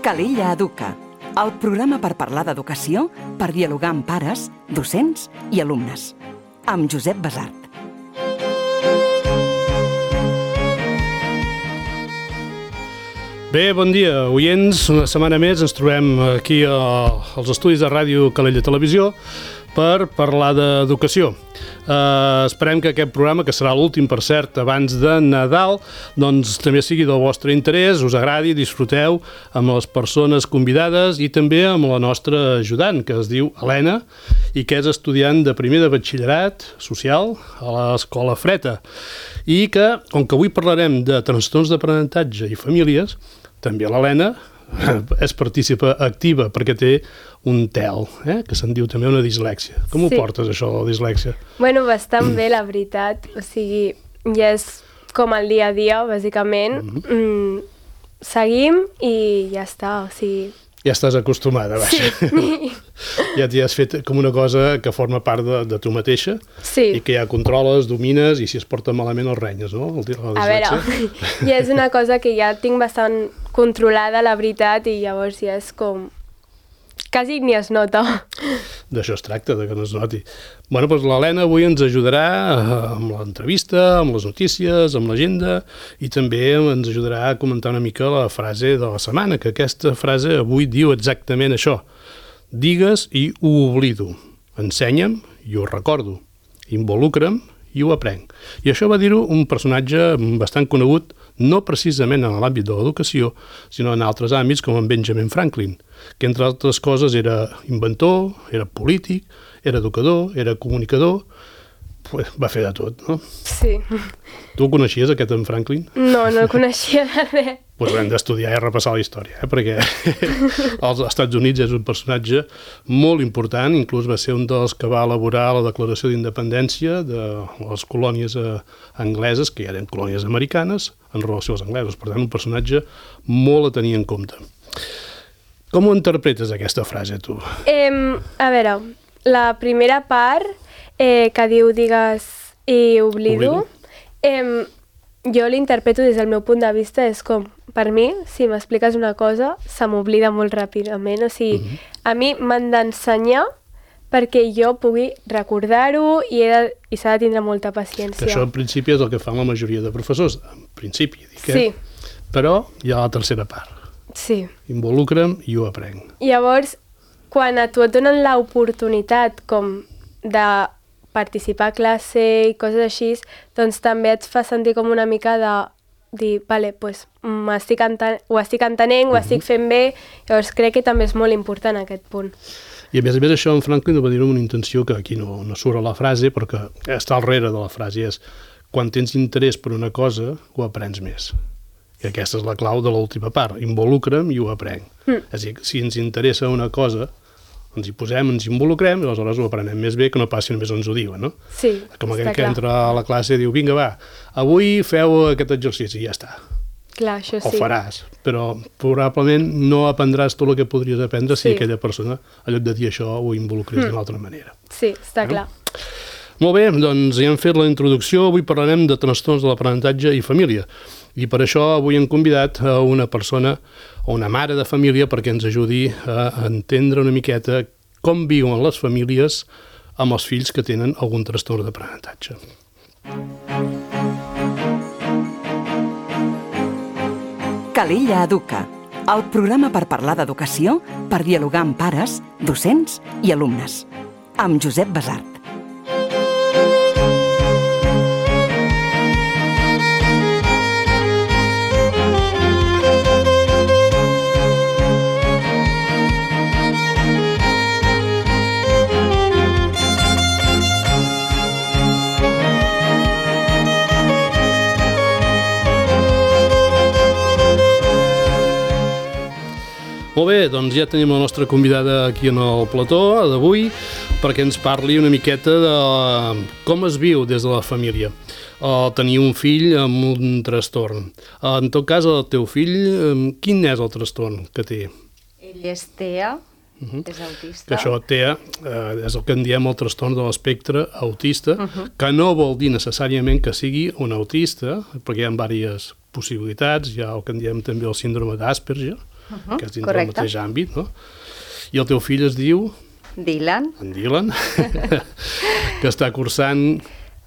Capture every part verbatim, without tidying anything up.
Calella Educa, el programa per parlar d'educació, per dialogar amb pares, docents i alumnes. Amb Josep Basart. Bé, bon dia, oients. Una setmana més ens trobem aquí als estudis de Ràdio Calella Televisió per parlar d'educació. Uh, esperem que aquest programa, que serà l'últim, per cert, abans de Nadal, doncs també sigui del vostre interès, us agradi, disfruteu amb les persones convidades i també amb la nostra ajudant, que es diu Helena, i que és estudiant de primer de batxillerat social a l'Escola Freta. I que, com que avui parlarem de trastorns d'aprenentatge i famílies, també l'Helena és partícipa activa perquè té un T E L, eh? que se'n diu també una dislèxia. Com Sí. ho portes, això, la dislèxia? Bueno, bastant bé, la veritat. O sigui, ja és com el dia a dia, bàsicament. Mm-hmm. Mm, seguim i ja està, o sigui... Ja estàs acostumada, vaja. Sí. Ja t'hi has fet com una cosa que forma part de, de tu mateixa Sí. i que ja controles, domines i si es porta malament els renyes, no? El, la A veure, dislèxia. ja és una cosa que ja tinc bastant controlada, la veritat, i llavors ja és com... Quasi ni es nota. D'això es tracta, de que no es noti. Bueno, doncs l'Helena avui ens ajudarà amb l'entrevista, amb les notícies, amb l'agenda i també ens ajudarà a comentar una mica la frase de la setmana, que aquesta frase avui diu exactament això. Digues i ho oblido. Ensenya'm i ho recordo. Involucra'm i ho aprenc. I això va dir-ho un personatge bastant conegut, no precisament en l'àmbit de l'educació, sinó en altres àmbits, com en Benjamin Franklin, que entre altres coses era inventor, era polític, era educador, era comunicador, pues va fer de tot, no? Sí. Tu el coneixies, aquest en Franklin? No, no el coneixia de res. Pues haurem d'estudiar i repassar la història, eh? perquè als Estats Units és un personatge molt important, inclús va ser un dels que va elaborar la declaració d'independència de les colònies eh, angleses, que ja eren colònies americanes, en relació als anglesos. Per tant, un personatge molt a tenir en compte. Com ho interpretes, aquesta frase, tu? Eh, a veure, la primera part eh, que diu digues i oblido, Oblido. eh, jo l'interpreto des del meu punt de vista, és com, per mi, si m'expliques una cosa, se m'oblida molt ràpidament. O sigui, Mhm. a mi m'han d'ensenyar perquè jo pugui recordar-ho i, he de, i s'ha de tindre molta paciència. Que això, en principi, és el que fan la majoria de professors. En principi, dic, eh? Sí, Però hi ha la tercera part. sí. Involucra'm i ho aprenc. Llavors, quan a tu et donen l'oportunitat com de participar a classe i coses així, doncs també et fa sentir com una mica de dir, vale, pues, m'estic enten ho estic entenent, ho estic fent bé, llavors crec que també és molt important aquest punt. I a més a més això en Franklin ho va dir amb una intenció que aquí no, no surt a la frase, però que està al darrere de la frase, és quan tens interès per una cosa, ho aprens més. I aquesta és la clau de l'última part, involucra'm i ho aprenc. Mm. És a dir, si ens interessa una cosa, ens hi posem, ens involucrem i aleshores ho aprenem més bé que no passi només on ens ho diuen, no? Sí, Com està aquell que clar. entra a la classe i diu, vinga, va, avui feu aquest exercici i ja està. Clar, això Ho sí. faràs, però probablement no aprendràs tot el que podries aprendre si Sí. aquella persona, en lloc de dir això, ho involucrés Mm. d'una altra manera. Sí, està No? clar. Molt bé, doncs ja hem fet la introducció. Avui parlarem de trastorns de l'aprenentatge i família. I per això avui hem convidat a una persona, a una mare de família, perquè ens ajudi a entendre una miqueta com viuen les famílies amb els fills que tenen algun trastorn d'aprenentatge. Calella Educa, el programa per parlar d'educació, per dialogar amb pares, docents i alumnes. Amb Josep Basart. Molt bé, doncs ja tenim la nostra convidada aquí en el plató d'avui perquè ens parli una miqueta de com es viu des de la família uh, tenir un fill amb un trastorn. Uh, en tot cas, el teu fill, um, quin és el trastorn que té? Ell és T E A, Uh-huh. és autista. Que això T E A eh, és el que en diem el trastorn de l'espectre autista, Uh-huh. que no vol dir necessàriament que sigui un autista, perquè hi ha diverses possibilitats, hi ha el que en diem també el síndrome d'Asperger, uh -huh, que és dins correcte. del mateix àmbit, no? I el teu fill es diu... Dylan. En Dylan, que està cursant...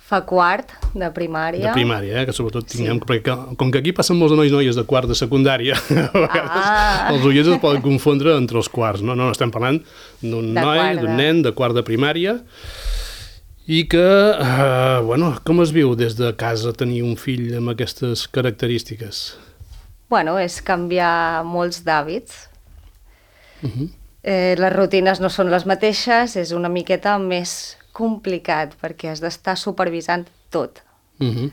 Fa quart de primària. De primària, eh? Que sobretot tinguem... Sí. Perquè com que aquí passen molts nois i noies de quart de secundària, a vegades ah. els oients es poden confondre entre els quarts. No, no, estem parlant d'un noi, d'un nen de quart de primària i que, eh, bueno, com es viu des de casa tenir un fill amb aquestes característiques? Bueno, és canviar molts d'hàbits. Uh -huh. eh, les rutines no són les mateixes, és una miqueta més complicat perquè has d'estar supervisant tot. Uh -huh.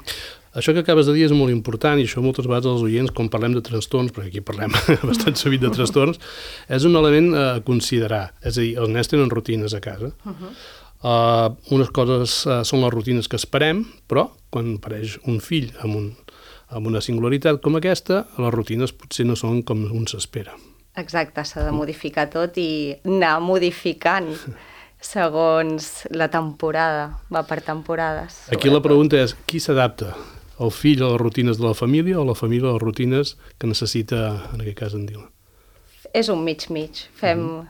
Això que acabes de dir és molt important i això moltes vegades els oients, quan parlem de trastorns, perquè aquí parlem bastant sovint de trastorns, és un element a considerar. És a dir, els nens tenen rutines a casa. Uh -huh. Uh, unes coses uh, són les rutines que esperem, però quan apareix un fill amb, un, amb una singularitat com aquesta, les rutines potser no són com un s'espera. Exacte, s'ha de modificar tot i anar modificant segons la temporada, va per temporades. Aquí la pregunta és, qui s'adapta? El fill a les rutines de la família o la família a les rutines que necessita, en aquest cas, en Dylan? És un mig-mig, fem... Mm.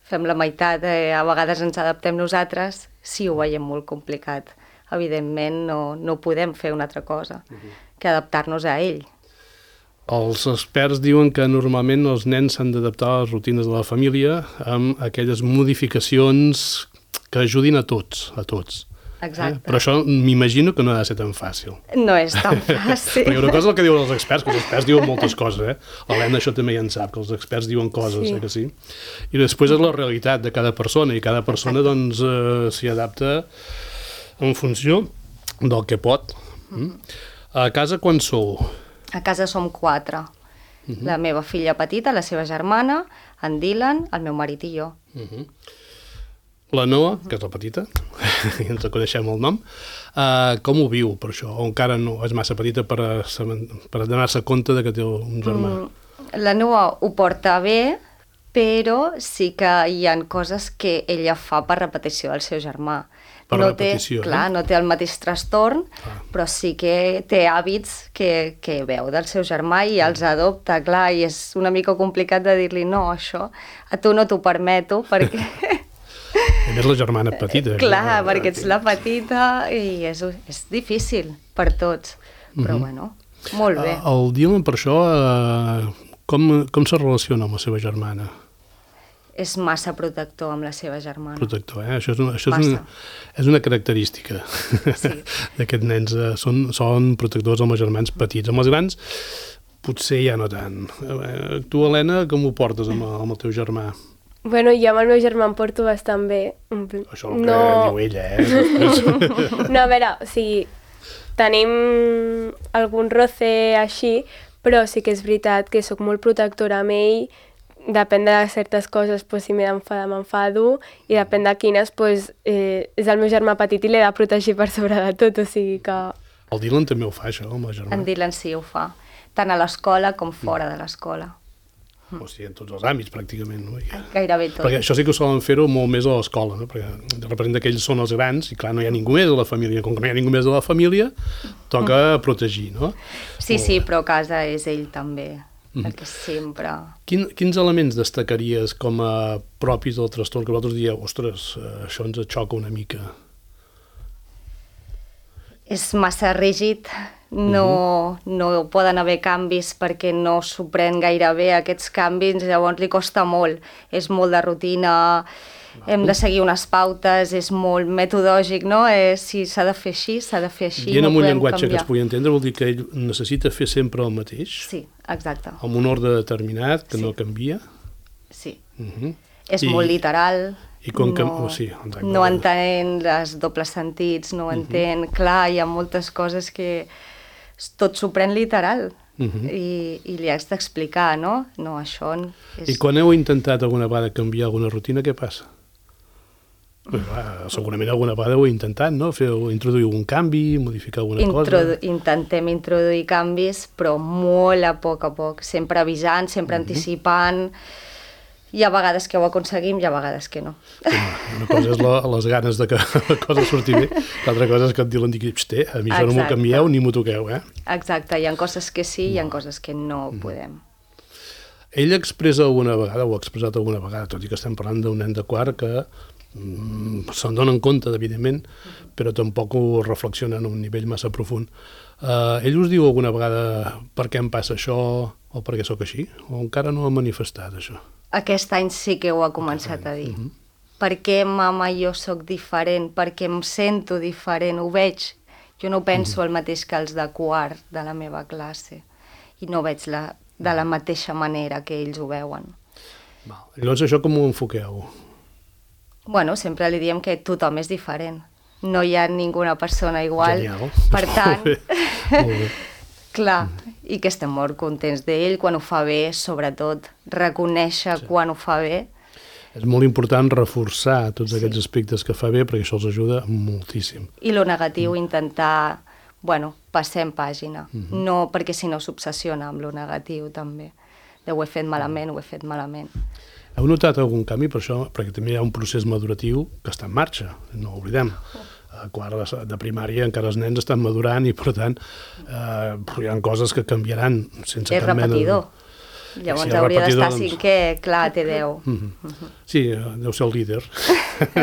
Fem la meitat, eh, a vegades ens adaptem nosaltres, si ho veiem molt complicat. Evidentment no, no podem fer una altra cosa uh-huh. que adaptar-nos a ell. Els experts diuen que normalment els nens s'han d'adaptar a les rutines de la família amb aquelles modificacions que ajudin a tots, a tots. Exacte. Eh? Però això m'imagino que no ha de ser tan fàcil. No és tan fàcil. Perquè una cosa és el que diuen els experts, que els experts diuen moltes coses, eh? L'Helena això també ja en sap, que els experts diuen coses, sí. eh, que sí? I després és la realitat de cada persona, i cada persona doncs eh, s'hi adapta en funció del que pot. Mm? A casa quan sou? A casa som quatre. Uh-huh. La meva filla petita, la seva germana, en Dylan, el meu marit i jo. Uh-huh. La Noa, que és la petita, i ens coneixem el nom, uh, com ho viu per això? O encara no és massa petita per, a, per donar-se compte de que té un germà? Mm, la Noa ho porta bé, però sí que hi ha coses que ella fa per repetició del seu germà. Per no repetició, té, clar, eh? no té el mateix trastorn, ah. però sí que té hàbits que, que veu del seu germà i els adopta, clar, i és una mica complicat de dir-li no, això a tu no t'ho permeto, perquè... A més, la germana petita. Clar, perquè ets la petita i és, és difícil per tots, però uh-huh. bueno, molt bé. El Dylan, per això, uh, com, com se relaciona amb la seva germana? És massa protector amb la seva germana. Protector, eh? Això és una, això és una, és una característica sí. d'aquests nens. Uh, són, són protectors amb els germans petits. Amb els grans, potser ja no tant. Uh, tu, Helena, com ho portes amb, amb el teu germà? Bueno, jo amb el meu germà em porto bastant bé. Això és el que no... diu ella, eh? No, a veure, o sigui, tenim algun roce així, però sí que és veritat que sóc molt protectora amb ell, depèn de certes coses, pues, si m'he d'enfadar m'enfado, i depèn de quines, pues, eh, és el meu germà petit i l'he de protegir per sobre de tot, o sigui que... El Dylan també ho fa, això, amb el germà? En Dylan sí, ho fa, tant a l'escola com fora de l'escola. O sigui, en tots els àmbits, pràcticament. No? I, Gairebé tot. perquè això sí que ho solen fer-ho molt més a l'escola, no? Perquè representa que ells són els grans i, clar, no hi ha ningú més de la família. Com que no hi ha ningú més de la família, toca mm. protegir, no? Sí, sí, però a casa és ell també, mm. perquè sempre... Quin, quins elements destacaries com a propis del trastorn que vosaltres dieu, ostres, això ens xoca una mica? És massa rígid, no, uh-huh. no poden haver canvis perquè no s'ho pren gaire bé aquests canvis, llavors li costa molt. És molt de rutina, uh-huh. hem de seguir unes pautes, és molt metodològic, no? Eh, si s'ha de fer així, s'ha de fer així, I no amb un podem llenguatge canviar. que es pugui entendre vol dir que ell necessita fer sempre el mateix? Sí, exacte. Amb un ordre determinat que sí. no canvia? Sí. Uh-huh. És I... molt literal. I com que... No, sí, exacte. no entén els dobles sentits, no entén... Uh-huh. Clar, hi ha moltes coses que tot s'ho pren literal uh-huh. i, i li has d'explicar, no? No, això... És... I quan heu intentat alguna vegada canviar alguna rutina, què passa? Pues, clar, segurament alguna vegada ho heu intentat, no? Fer, introduir algun canvi, modificar alguna Introdu cosa... Intentem introduir canvis, però molt a poc a poc, sempre avisant, sempre uh-huh. anticipant... Hi ha vegades que ho aconseguim, hi ha vegades que no. Sí, una cosa és la, les ganes de que la cosa surti bé, l'altra cosa és que et diuen, digui, a mi això no m'ho canvieu ni m'ho toqueu, eh? Exacte, hi ha coses que sí, hi ha coses que no mm. podem. Ell expressa alguna vegada, o ha expressat alguna vegada, tot i que estem parlant d'un nen de quart que mm, se'n donen compte, evidentment, però tampoc ho reflexionen a un nivell massa profund. Uh, ell us diu alguna vegada per què em passa això o per què sóc així? O encara no ha manifestat això? Aquest any sí que ho ha començat a dir. Uh-huh. Per què, mama, jo sóc diferent? Per què em sento diferent? Ho veig. Jo no penso uh-huh. el mateix que els de quart de la meva classe i no veig la, de la mateixa manera que ells ho veuen. Val. Llavors això com ho enfoqueu? Bueno, sempre li diem que tothom és diferent. No hi ha ninguna persona igual. Genial. Per tant, Molt bé. Molt bé. clar, i que estem molt contents d'ell quan ho fa bé, sobretot reconèixer sí. quan ho fa bé. És molt important reforçar tots Sí. aquests aspectes que fa bé perquè això els ajuda moltíssim. I lo negatiu mm. intentar, bueno, passem pàgina. Mm-hmm. No, perquè si no s'obsessiona amb lo negatiu també. De ho he fet malament, ho he fet malament. Heu notat algun canvi per això? Perquè també hi ha un procés maduratiu que està en marxa, no ho oblidem. A quart de, de primària encara els nens estan madurant i, per tant, eh, hi ha coses que canviaran sense És cap mena de... repetidor. Llavors Si és hauria repetidor, d'estar doncs- cinquè, clar, té deu. Mm-hmm. Sí, deu ser el líder.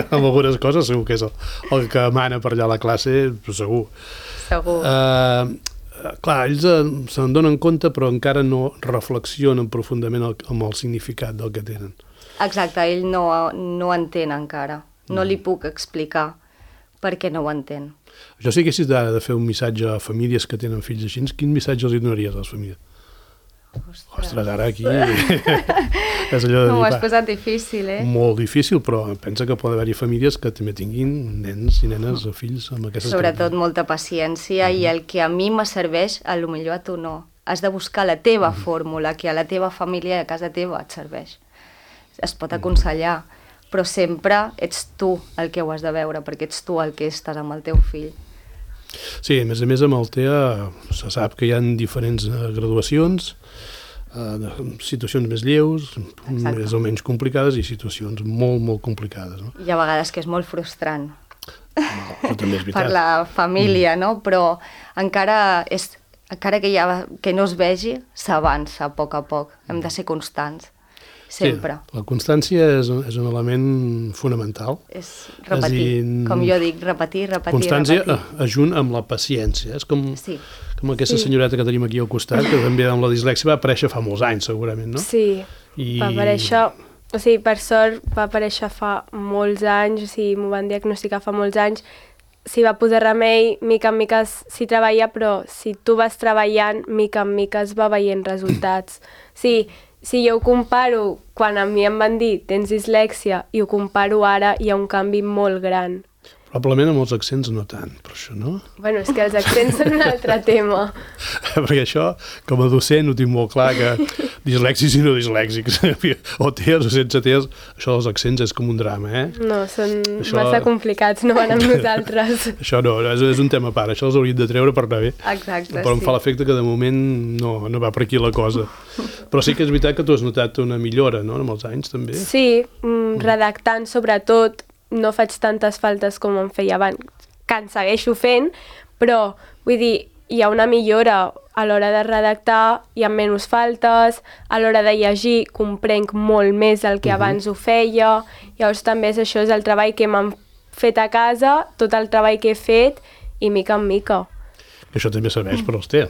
Amb algunes coses segur que és el, el que mana per allà a la classe, segur. Segur. Uh, clar, ells uh, se'n donen compte però encara no reflexionen profundament el, amb el significat del que tenen. Exacte, ell no, no entén encara. No li puc explicar perquè no ho entén. Jo si haguessis de, de fer un missatge a famílies que tenen fills així, quin missatge els donaries a les famílies? Ostres, Ostres, ara aquí és allò de no, dir, ho has va, posat difícil, eh? molt difícil, però pensa que pot haver-hi famílies que també tinguin nens i nenes o fills amb aquestes Sobretot molta paciència i el que a mi me serveix, a lo millor a tu no. Has de buscar la teva fórmula, que a la teva família i a casa teva et serveix. Es pot aconsellar, però sempre ets tu el que ho has de veure, perquè ets tu el que estàs amb el teu fill. Sí, a més a més amb el T E A se sap que hi ha diferents eh, graduacions, eh, de situacions més lleus, Exacte. més o menys complicades i situacions molt, molt complicades. No? Hi ha vegades que és molt frustrant Però també és veritat. per la família, no? Però encara, és, encara que, ja, que no es vegi, s'avança a poc a poc. Hem de ser constants, sempre. Sí, la constància és, és un element fonamental. És repetir, És dir, com jo dic, repetir, repetir, constància repetir. ajunt amb la paciència. És com, Sí. com aquesta senyoreta que tenim aquí al costat, que també amb la dislèxia va aparèixer fa molts anys, segurament, no? Sí, I... va aparèixer, o sigui, per sort va aparèixer fa molts anys, o sigui, m'ho van diagnosticar fa molts anys, s'hi va posar remei, mica en mica s'hi treballa, però si tu vas treballant, mica en mica es va veient resultats. Sí, si jo ho comparo, quan a mi em van dir tens dislèxia i ho comparo ara, hi ha un canvi molt gran. Probablement amb els accents no tant, però això no? Bueno, és que els accents són un altre tema. Perquè això, com a docent, ho tinc molt clar, que dislèxics i no dislèxics, o T E A s o sense T E A s, això dels accents és com un drama, eh? No, són Això- massa complicats, no van amb nosaltres. Això no, és, és un tema a part, això els hauríem de treure per anar bé. Exacte, Però em sí. fa l'efecte que de moment no, no va per aquí la cosa. Però sí que és veritat que tu has notat una millora, no?, amb els anys, també. Sí, mm, redactant sobretot, no faig tantes faltes com em feia abans, que en segueixo fent, però vull dir, hi ha una millora a l'hora de redactar, hi ha menys faltes, a l'hora de llegir comprenc molt més el que Mhm. abans ho feia, llavors també és això, és el treball que m'han fet a casa, tot el treball que he fet, i mica en mica. Que això també serveix per als T E A.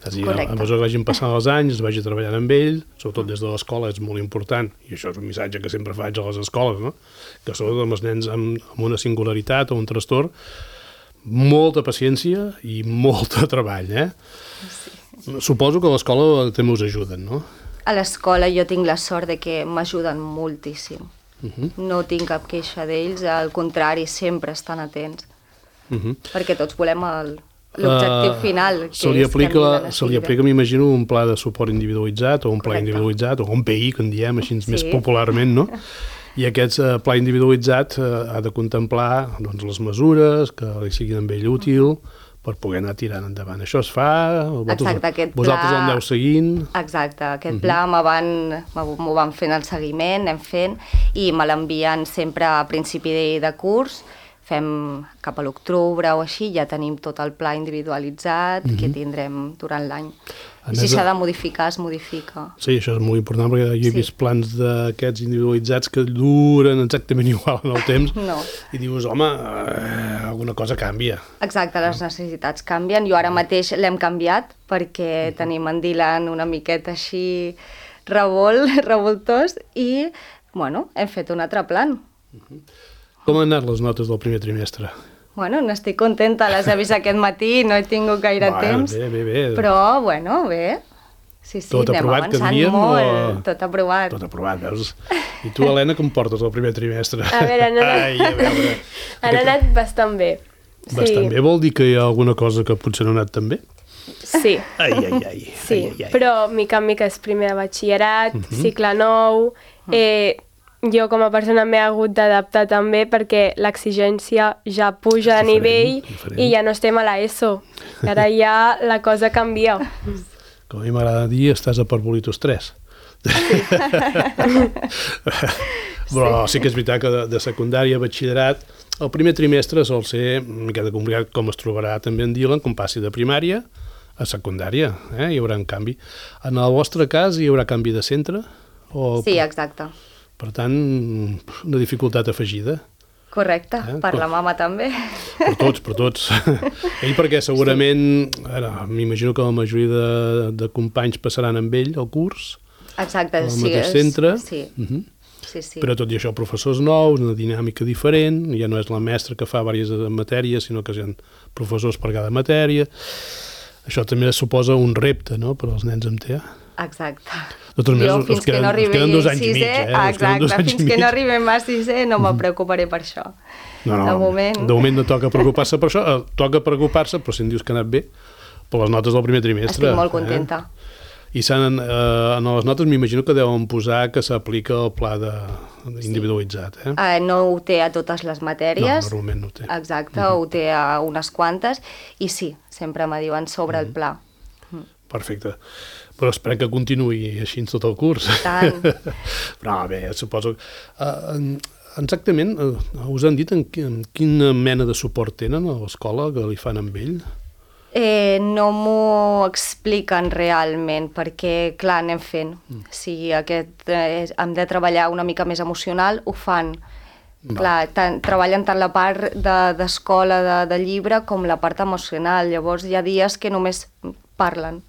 És a dir, Correcte. a mesura que vagin passant els anys, es vagi treballant amb ell, sobretot des de l'escola és molt important, i això és un missatge que sempre faig a les escoles, no?, que sobretot amb els nens amb, amb una singularitat o un trastorn, molta paciència i molt de treball, eh? Sí. Suposo que a l'escola també us ajuden, no? A l'escola jo tinc la sort de que m'ajuden moltíssim. Uh-huh. No tinc cap queixa d'ells, al contrari, sempre estan atents, Uh-huh. perquè tots volem el- l'objectiu Uh, final, que se li és aplica, tenir la se li filla. aplica, m'imagino, un pla de suport individualitzat o un pla Correcte. individualitzat o un P I, que en diem així Sí. més popularment, no? I aquest eh, pla individualitzat eh, ha de contemplar doncs, les mesures que li siguin amb ell útil per poder anar tirant endavant. Això es fa? Vosaltres, Exacte, aquest vosaltres pla- el aneu seguint? Exacte, aquest pla me van, m'ho van fent el seguiment, anem fent, i me l'envien sempre a principi de, de curs, fem cap a l'octubre o així, ja tenim tot el pla individualitzat mm-hmm. que tindrem durant l'any. I si s'ha de modificar, es modifica. Sí, això és molt important, perquè jo he sí. vist plans d'aquests individualitzats que duren exactament igual en el temps, no. i dius, home, eh, alguna cosa canvia. Exacte, les necessitats canvien. Jo ara mateix l'hem canviat, perquè mm-hmm. tenim en Dylan una miqueta així revolt, revoltós, i, bueno, hem fet un altre plan. Mm-hmm. Com han anat les notes del primer trimestre? Bueno, n'estic contenta, les he vist aquest matí, no he tingut gaire bueno, temps, bé, bé, bé. però, bueno, bé. Sí, sí, tot anem aprovat, avançant que molt, o... tot aprovat. Tot aprovat, veus? I tu, Helena, com portes el primer trimestre? A veure, han anat, Ai, a veure. han anat bastant bé. Bastant sí. bé vol dir que hi ha alguna cosa que potser no ha anat tan bé? Sí. Ai, ai, ai. Sí, ai, ai. però mica en mica és primer de batxillerat, uh-huh. cicle nou, eh, jo com a persona m'he hagut d'adaptar també perquè l'exigència ja puja de nivell diferent. I ja no estem a l'ESO. Ara ja la cosa canvia. Com a mi m'agrada dir, estàs a Parvolitos tres. Sí. Però sí que és veritat que de, de secundària a batxillerat el primer trimestre sol ser una mica complicat, com es trobarà també en Dylan, com passi de primària a secundària. Eh? Hi haurà un canvi. En el vostre cas hi haurà canvi de centre? O... Sí, exacte. Per tant, una dificultat afegida. Correcte, eh? Per la mama també. Per tots, per tots. Ell perquè segurament, ara, m'imagino que la majoria de, de companys passaran amb ell el curs, exacte, al sí, mateix és, centre, sí. uh-huh. sí, sí. Però tot i això professors nous, una dinàmica diferent, ja no és la mestra que fa diverses matèries, sinó que hi ha professors per cada matèria. Això també suposa un repte, no?, per als nens amb T E A. Exacte. Jo, fins que no arribi a sisè, exacte, fins que no arribem a sisè no me preocuparé per això. No, no, de moment... de moment no toca preocupar-se per això, eh, toca preocupar-se, però si em dius que ha anat bé, per les notes del primer trimestre. Estic molt contenta. Eh? I s'han, eh, en les notes m'imagino que deuen posar que s'aplica el pla de, individualitzat. Eh? Uh, no ho té a totes les matèries. No, normalment no ho té. Exacte, uh-huh. ho té a unes quantes, i sí, sempre me diuen sobre uh-huh. el pla. Uh-huh. Perfecte. Però esperem que continuï així tot el curs. Tant. Però bé, suposo... Uh, exactament, uh, us han dit en, en quina mena de suport tenen a l'escola que li fan amb ell? Eh, no m'ho expliquen realment, perquè, clar, anem fent. Mm. Si aquest, eh, hem de treballar una mica més emocional, ho fan. Va. Clar, tant, treballen tant la part d'escola, de, de, de llibre, com la part emocional. Llavors hi ha dies que només parlen.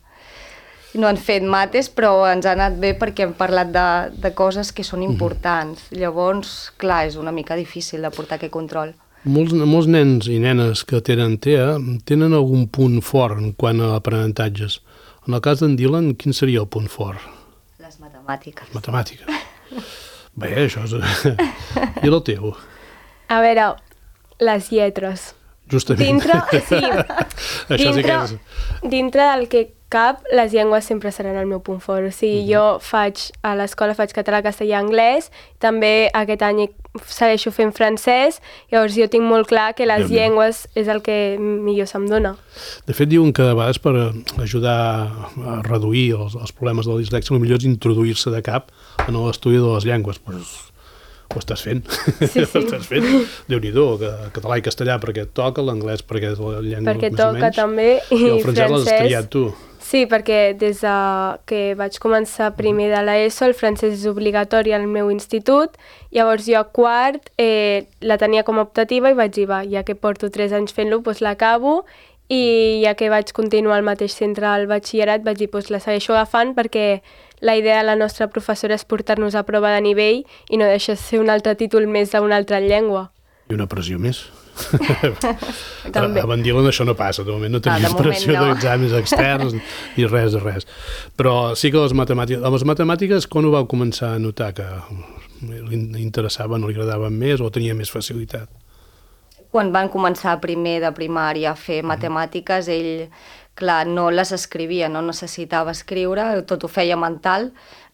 No han fet mates, però ens ha anat bé perquè hem parlat de, de coses que són importants. Mm-hmm. Llavors, clar, és una mica difícil de portar aquest control. Molts, molts nens i nenes que tenen T E A tenen algun punt fort en quant a aprenentatges. En el cas d'en Dylan, quin seria el punt fort? Les matemàtiques. Les matemàtiques. Bé, això és... I el teu? A veure, les lletres. Justament. Dintre, sí, Això dintre, sí que és... dintre del que cap, les llengües sempre seran el meu punt fort. O sigui, uh-huh. jo faig, a l'escola faig català, castellà, anglès, també aquest any segueixo fent francès, llavors jo tinc molt clar que les Bé, llengües és el que millor se'm dona. De fet, diuen que a vegades per ajudar a reduir els, els problemes de la dislèxia, el millor és introduir-se de cap en l'estudi de les llengües. Pues, ho estàs fent. Sí, sí. Ho estàs fent. Déu-n'hi-do, que català i castellà perquè et toca, l'anglès perquè és la llengua perquè més o menys. Perquè toca també, i, i el francès, francès l'has triat tu. Sí, perquè des de que vaig començar primer de l'ESO, el francès és obligatori al meu institut, llavors jo a quart eh, la tenia com a optativa i vaig dir, va, ja que porto tres anys fent-lo, doncs l'acabo, i ja que vaig continuar al mateix centre al batxillerat, vaig dir, doncs la segueixo agafant perquè la idea de la nostra professora és portar-nos a prova de nivell i no deixar ser un altre títol més d'una altra llengua. I una pressió més. També. A Van Dylan això no passa, de moment no tenim ah, pressió no. d'exàmens externs ni res de res. Però sí que les matemàtiques, les matemàtiques quan ho vau començar a notar que li interessava, no li agradaven més o tenia més facilitat? Quan van començar primer de primària a fer matemàtiques, ell, clar, no les escrivia, no necessitava escriure, tot ho feia mental,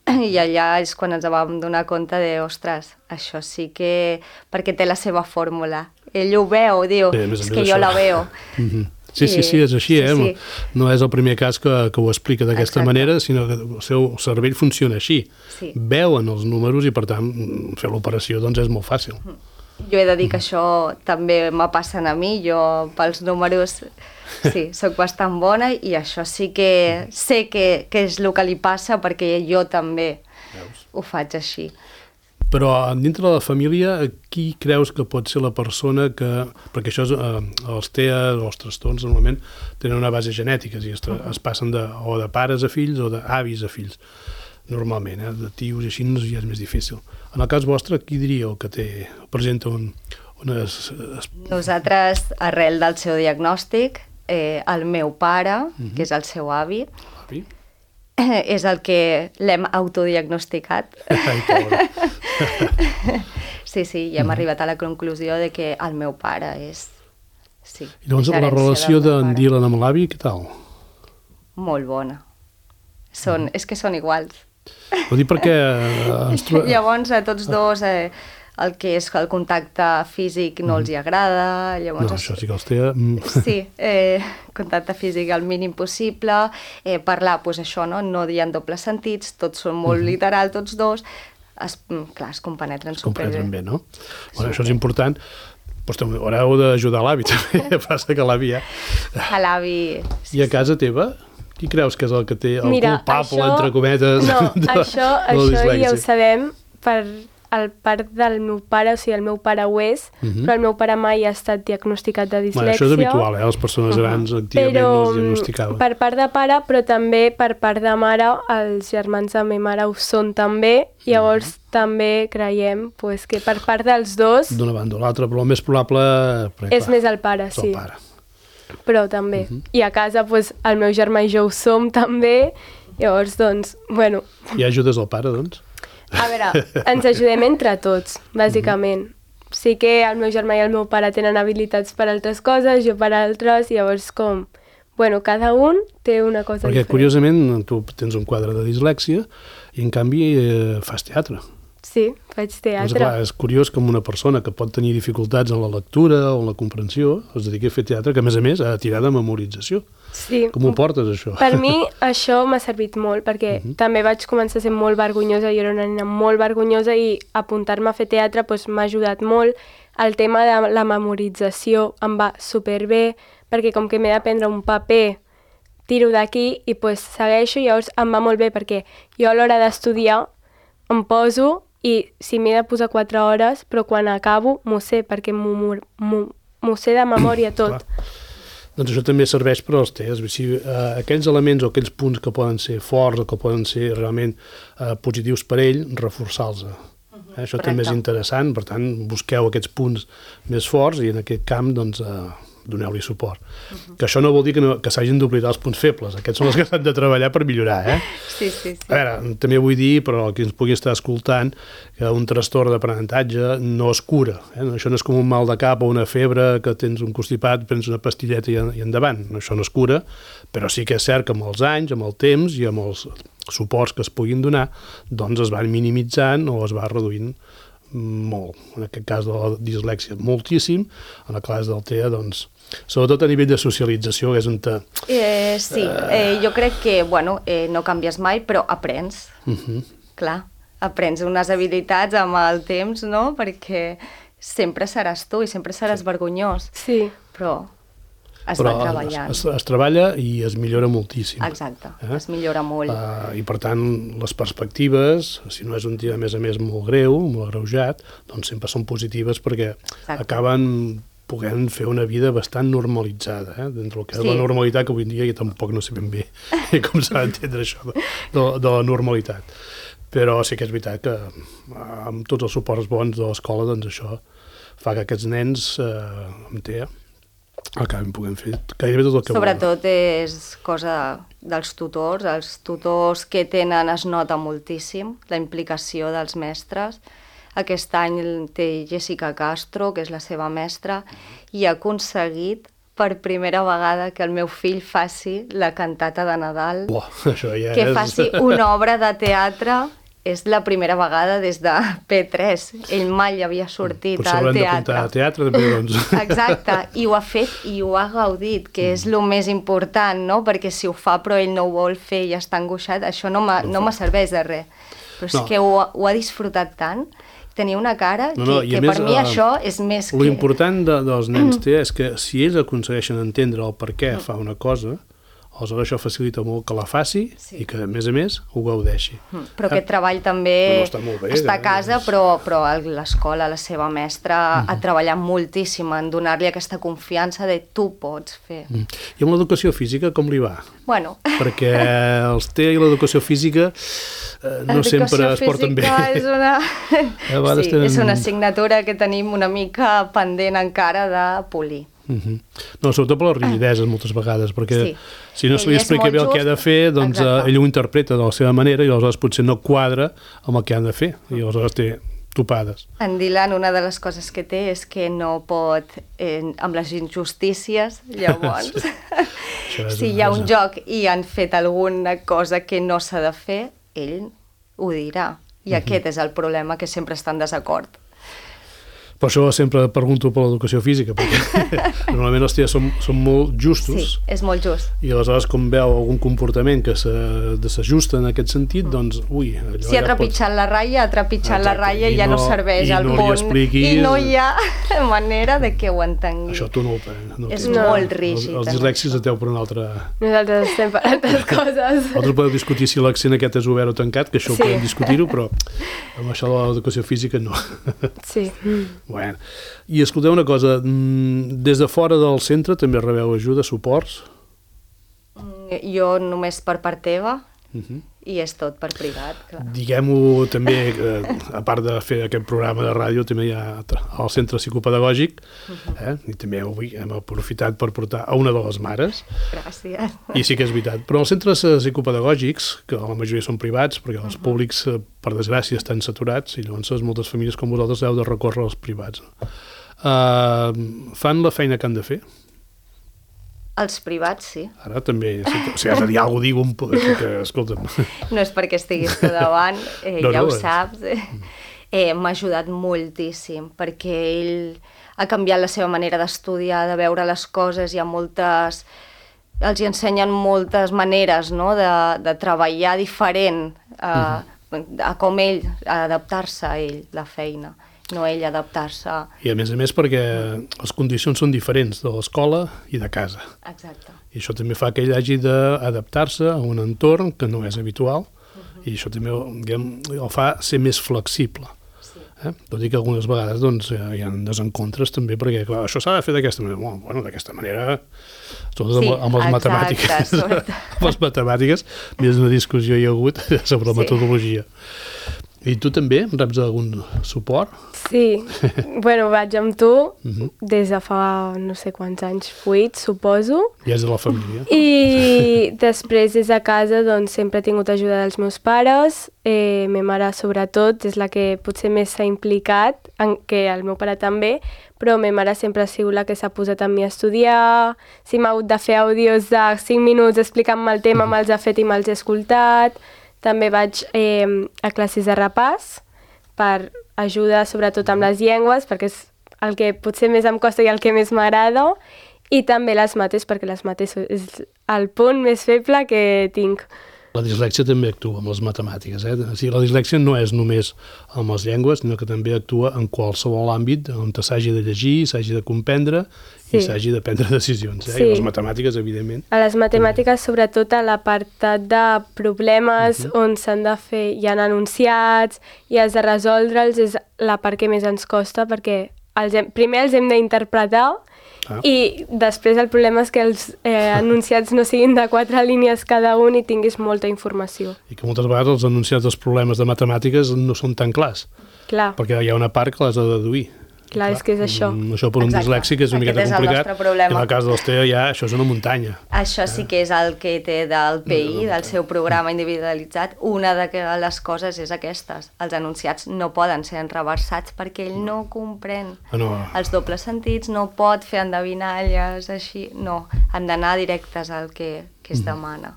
i allà és quan ens vam donar compte de, ostres, això sí que... perquè té la seva fórmula. Ell ho veu, diu, Bé, és que jo la veu. Mm-hmm. Sí, sí, sí, és així, eh? Sí, sí. No és el primer cas que, que ho explica d'aquesta manera, sinó que el seu cervell funciona així. Sí. Veuen els números i, per tant, fer l'operació doncs, és molt fàcil. Jo he de dir que això també me passen a mi, jo pels números sí, sóc bastant bona i això sí que sé que, que és el que li passa perquè jo també Veus? Ho faig així. Però dintre de la família, qui creus que pot ser la persona que... Perquè això, és, eh, els T E A o els trastorns normalment tenen una base genètica, és a dir, es, tra- es passen de, o de pares a fills o d'avis a fills, normalment, eh? De tios i així ja és més difícil. En el cas vostre, qui diríeu que té, presenta un, unes... Nosaltres, arrel del seu diagnòstic, eh, el meu pare, Mhm. que és el seu avi, Avi? és el que l'hem autodiagnosticat. Ai, pobre. Sí, sí, i hem arribat a la conclusió de que el meu pare és... Sí, I llavors la gerència relació del meu d'en pare. Dylan amb l'avi, què tal? Molt bona. Són, és que són iguals. Ho dic perquè... eh, ens tro- Llavors, a tots dos, eh, el que és el contacte físic no els hi agrada. Llavors, No, això sí que els té... mm. Sí, eh, contacte físic al mínim possible, eh, parlar, doncs això, no? No dir en dobles sentits, tots són molt literal, tots dos, es, mm, clar, es compenetren Es comprenen superbé. bé, no? Bueno, això és important. Doncs també haureu d'ajudar l'avi, també. Passa que l'avi ja... A l'avi... I a casa teva, qui creus que és el que té el Mira, culpable, això- entre cometes, No, de, això, de la això ja ho dislèxia? sabem per el part del meu pare, o sigui, el meu pare ho és, Mhm. però el meu pare mai ha estat diagnosticat de dislèxia. Bueno, això és habitual, eh? Les persones grans activament Però no es diagnosticaven. per part de pare, però també per part de mare, els germans de ma mare ho són també, llavors també creiem pues, que per part dels dos D'una banda o l'altra, però el més probable... perquè, és clar, més el pare, és el sí. pare. Però també. I a casa pues, el meu germà i jo ho som també, llavors doncs, bueno, I ajudes el pare, doncs? a veure, ens ajudem entre tots, bàsicament. Sí que el meu germà i el meu pare tenen habilitats per altres coses, jo per altres, llavors com... Bueno, cada un té una cosa Perquè, diferent. curiosament, tu tens un quadre de dislèxia i, en canvi, eh, fas teatre. Sí, faig Doncs, teatre. clar, és curiós com una persona que pot tenir dificultats en la lectura o en la comprensió es dediqui a fer teatre, que, a més a més, ha de tirar de memorització. Sí. Com ho portes, això? Per mi això m'ha servit molt, perquè també vaig començar a ser molt vergonyosa, jo era una nena molt vergonyosa i apuntar-me a fer teatre doncs, m'ha ajudat molt. El tema de la memorització em va superbé, perquè com que m'he de prendre un paper, tiro d'aquí i doncs, segueixo, i llavors em va molt bé, perquè jo a l'hora d'estudiar em poso i si m'he de posar quatre hores, però quan acabo m'ho sé, perquè m'ho m'ho- m'ho sé de memòria tot. Clar. Doncs això també serveix per als tests. Si, eh, aquells elements o aquells punts que poden ser forts o que poden ser realment eh, positius per ell, reforçar-los. Eh, això també és correcte. interessant, per tant, busqueu aquests punts més forts i en aquest camp doncs, eh, doneu-li suport. Que això no vol dir que, no, que s'hagin d'oblidar els punts febles. Aquests són els que s'han de treballar per millorar. Eh? Sí, sí, sí. A veure, també vull dir, però el que ens pugui estar escoltant, que un trastorn d'aprenentatge no es cura. Eh? Això no és com un mal de cap o una febre que tens un constipat, prens una pastilleta i, i endavant. Això no es cura, però sí que és cert que amb els anys, amb el temps i amb els suports que es puguin donar, doncs es van minimitzant o es va reduint molt. En aquest cas de la dislèxia, moltíssim. En el cas del T E A, doncs, sobretot a nivell de socialització, que és on te... Eh, sí, eh, jo crec que, bueno, eh, no canvies mai, però aprens. Uh -huh. Clar, aprens unes habilitats amb el temps, no? Perquè sempre seràs tu i sempre seràs Sí. vergonyós. Sí. Però es Però va treballant. Es, es, es treballa i es millora moltíssim. Exacte, Eh? es millora molt. Uh, I per tant, les perspectives, si no és un dia a més a més molt greu, molt agreujat, doncs sempre són positives perquè Exacte. acaben podent fer una vida bastant normalitzada, eh? Dintre del que és Sí. la normalitat, que avui en dia jo tampoc no sé ben bé com s'ha d'entendre això de, de, de la normalitat. Però sí que és veritat que eh, amb tots els suports bons de l'escola, doncs això fa que aquests nens eh, amb T E A acabin podent fer gairebé tot el que Sobretot és cosa dels tutors. Els tutors que tenen es nota moltíssim la implicació dels mestres. Aquest any té Jessica Castro, que és la seva mestra, i ha aconseguit per primera vegada que el meu fill faci la cantata de Nadal, Buah, això ja que és... faci una obra de teatre. És la primera vegada des de P tres. Ell mai havia sortit Potser al haurem d'apuntar teatre. a teatre, també, doncs. Exacte, i ho ha fet i ho ha gaudit, que és el més important, no? Perquè si ho fa però ell no ho vol fer i està angoixat, això no me, no me serveix de res. Però és No. que ho, ha- ho ha disfrutat tant tenia una cara no, no, que, que més, per mi uh, això és més que... L'important de, dels nens té és que si ells aconsegueixen entendre el per què fa una cosa, aleshores això facilita molt que la faci sí. i que, a més a més, ho gaudeixi. Mm, però aquest treball també no, està, molt bé, està a casa, és... però, però l'escola, la seva mestra, mm. ha treballat moltíssim en donar-li aquesta confiança de tu pots fer. Mm. I amb l'educació física com li va? Bueno. Perquè els T I i l'educació física eh, no sempre es porten bé. És una... sí, tenen... és una assignatura que tenim una mica pendent encara de polir. Uh-huh. No, sobretot per les rigideses moltes vegades, perquè sí. si no se li explica bé el que ha de fer, doncs eh, ell ho interpreta de la seva manera i aleshores potser no quadra amb el que han de fer i aleshores té topades. En Dylan, una de les coses que té és que no pot, eh, amb les injustícies, llavors, sí. si hi ha un joc i han fet alguna cosa que no s'ha de fer, ell ho dirà. I uh-huh. aquest és el problema, que sempre està en desacord. Per això sempre pregunto per l'educació física, perquè normalment els tios són, són molt justos. Sí, és molt just. I aleshores, com veu algun comportament que s'ajusta en aquest sentit, doncs, ui... Si ha ja trepitjat pots... la ratlla, ha trepitjat Exacte. la ratlla i ja no, no serveix al no món. Expliquis... I no hi ha manera de que ho entengui. Això tu no ho no És no. molt rígid. Els, els dislèxics esteu per una altra... Nosaltres estem per altres coses. Vosaltres podeu discutir si l'accent aquest és obert o tancat, que això sí. ho podem discutir-ho, però amb això de l'educació física no. Sí. Bueno, i escolteu una cosa, des de fora del centre també rebeu ajuda, suports? Jo només per part teva uh-huh. i és tot per privat. Clar. Diguem-ho també, eh, a part de fer aquest programa de ràdio, també hi ha el centre psicopedagògic uh-huh. eh? i també avui hem aprofitat per portar a una de les mares. Gràcies. I sí que és veritat. Però els centres psicopedagògics, que la majoria són privats, perquè els uh-huh. públics, per desgràcia, estan saturats i llavors moltes famílies com vosaltres heu de recórrer als privats. No? Uh, fan la feina que han de fer? Els privats, sí. Ara també, si has de dir alguna cosa, digue un poc, que, escolta'm. No és perquè estiguis tu davant, eh, no, ja no, ho saps. Eh, eh, m'ha ajudat moltíssim, perquè ell ha canviat la seva manera d'estudiar, de veure les coses, hi ha moltes... Els hi ensenyen moltes maneres, no?, de, de treballar diferent a, uh-huh. a com ell, a adaptar-se a ell, la feina. No ell adaptar-se. I a més a més perquè les condicions són diferents de l'escola i de casa. Exacte. I això també fa que ell hagi d'adaptar-se a un entorn que no és habitual uh-huh. i això també diguem, el fa ser més flexible. Sí. Eh? Tot i que algunes vegades doncs, hi ha desencontres també perquè clar, això s'ha de fer d'aquesta manera. Bueno, bueno d'aquesta manera, sobretot sí, amb, amb les exacte, matemàtiques. Amb les matemàtiques, més una discussió hi ha hagut sobre la sí. metodologia. I tu també reps algun suport? Sí, bueno, vaig amb tu uh-huh. des de fa no sé quants anys, vuit, suposo. I és de la família. I després des de casa doncs sempre he tingut ajuda dels meus pares, eh, ma mare sobretot és la que potser més s'ha implicat, en, que el meu pare també, però ma mare sempre ha sigut la que s'ha posat amb mi a estudiar, si m'ha hagut de fer àudios de cinc minuts explicant-me el tema, uh-huh. me'ls ha fet i me'ls he escoltat. També vaig eh, a classes de repàs per ajuda sobretot amb les llengües, perquè és el que potser més em costa i el que més m'agrada, i també les mates, perquè les mates és el punt més feble que tinc. La dislèxia també actua amb les matemàtiques. Eh? O sigui, la dislèxia no és només amb les llengües, sinó que també actua en qualsevol àmbit on s'hagi de llegir, s'hagi de comprendre sí. i s'hagi de prendre decisions. Eh? Sí. I les matemàtiques, evidentment. A les matemàtiques, sobretot a l'apartat de problemes uh-huh. on s'han de fer, hi ha enunciats i has de resoldre'ls, és la part que més ens costa, perquè els hem, primer els hem d'interpretar Ah. I després el problema és que els eh, enunciats no siguin de quatre línies cada un i tinguis molta informació. I que moltes vegades els enunciats dels problemes de matemàtiques no són tan clars. Clar. Perquè hi ha una part que l'has de deduir. Clar, és que és això. Això per un Exacte. dislèxic és una Aquest miqueta és complicat. I en el cas dels T E A ja això és una muntanya. Això sí que és el que té del P I, del seu programa individualitzat. Una de les coses és aquestes. Els enunciats no poden ser enreversats perquè ell no comprèn ah, no. els dobles sentits, no pot fer endevinalles, així. No, han d'anar directes al que, que es demana.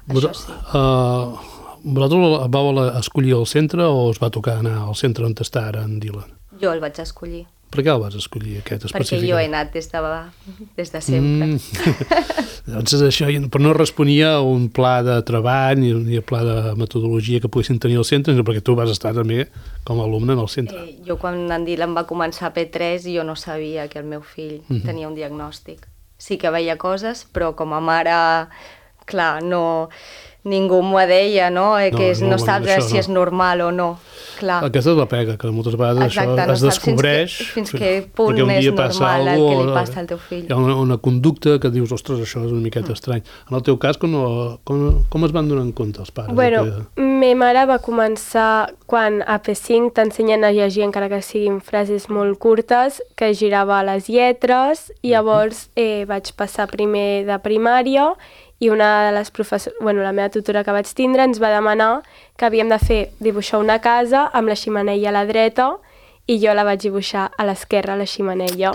Mm. Això sí. Uh, vosaltres vau escollir el centre o us va tocar anar al centre on està ara en Dylan? Jo el vaig escollir. Per què el vas escollir, aquest específicament? Perquè jo he anat des de, des de sempre. Mm. Doncs això, però no responia a un pla de treball ni, ni a pla de metodologia que poguessin tenir al centre, sinó perquè tu vas estar també com a alumne en el centre. Eh, jo quan en Dylan va començar a P tres jo no sabia que el meu fill Mhm. tenia un diagnòstic. Sí que veia coses, però com a mare, clar, no, ningú m'ho deia, no? Eh, No, que és, no, no, bueno, saps això si no. és normal o no. Clar. Aquesta és la pega, que moltes vegades Exacte, això no es saps fins descobreix. que- fins que punt perquè un és dia passa normal el algo, que li passa al teu fill. Hi ha una, una conducta que dius, ostres, això és una miqueta estrany. En el teu cas, com, com, com es van donar en compte els pares? Bueno, que... ma mare va començar quan a P cinc t'ensenyen a llegir, encara que siguin frases molt curtes, que girava les lletres, i llavors eh, vaig passar primer de primària i una de les professores, bueno, la meva tutora que vaig tindre ens va demanar que havíem de fer dibuixar una casa amb la xemeneia a la dreta i jo la vaig dibuixar a l'esquerra, la xemeneia.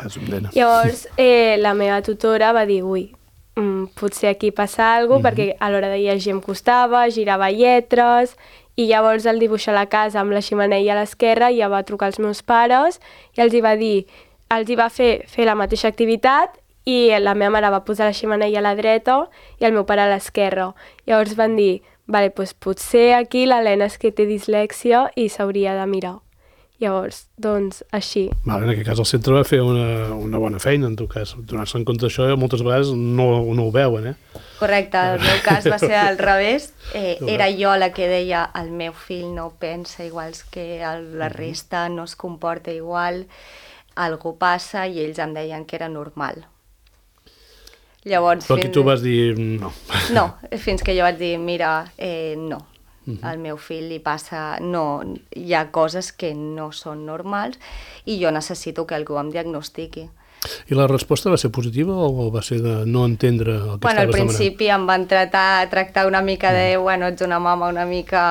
Llavors eh, la meva tutora va dir, ui, mm, potser aquí passa alguna cosa, mm-hmm. perquè a l'hora de llegir em costava, girava lletres, i llavors al dibuixar la casa amb la xemeneia a l'esquerra ja va trucar als meus pares i els hi va dir, els hi va fer fer la mateixa activitat i la meva mare va posar la xemeneia a la dreta i el meu pare a l'esquerra. Llavors van dir, vale, doncs potser aquí l'Helena és que té dislèxia i s'hauria de mirar. Llavors, doncs, així. Vale, en aquest cas el centre va fer una, una bona feina, en tot cas. Donar-se en compte d'això moltes vegades no, no ho veuen, eh? Correcte, el meu cas va ser al revés. Eh, era jo la que deia, el meu fill no pensa igual que el, la resta, no es comporta igual, algú passa, i ells em deien que era normal. Llavors, Però aquí tu vas dir no. No, fins que jo vaig dir, mira, eh, no, uh-huh. al meu fill li passa, no, hi ha coses que no són normals i jo necessito que algú em diagnostiqui. I la resposta va ser positiva o va ser de no entendre el que bueno, estaves demanant? Al principi em van tratar, tractar una mica de, mm. bueno, ets una mama una mica...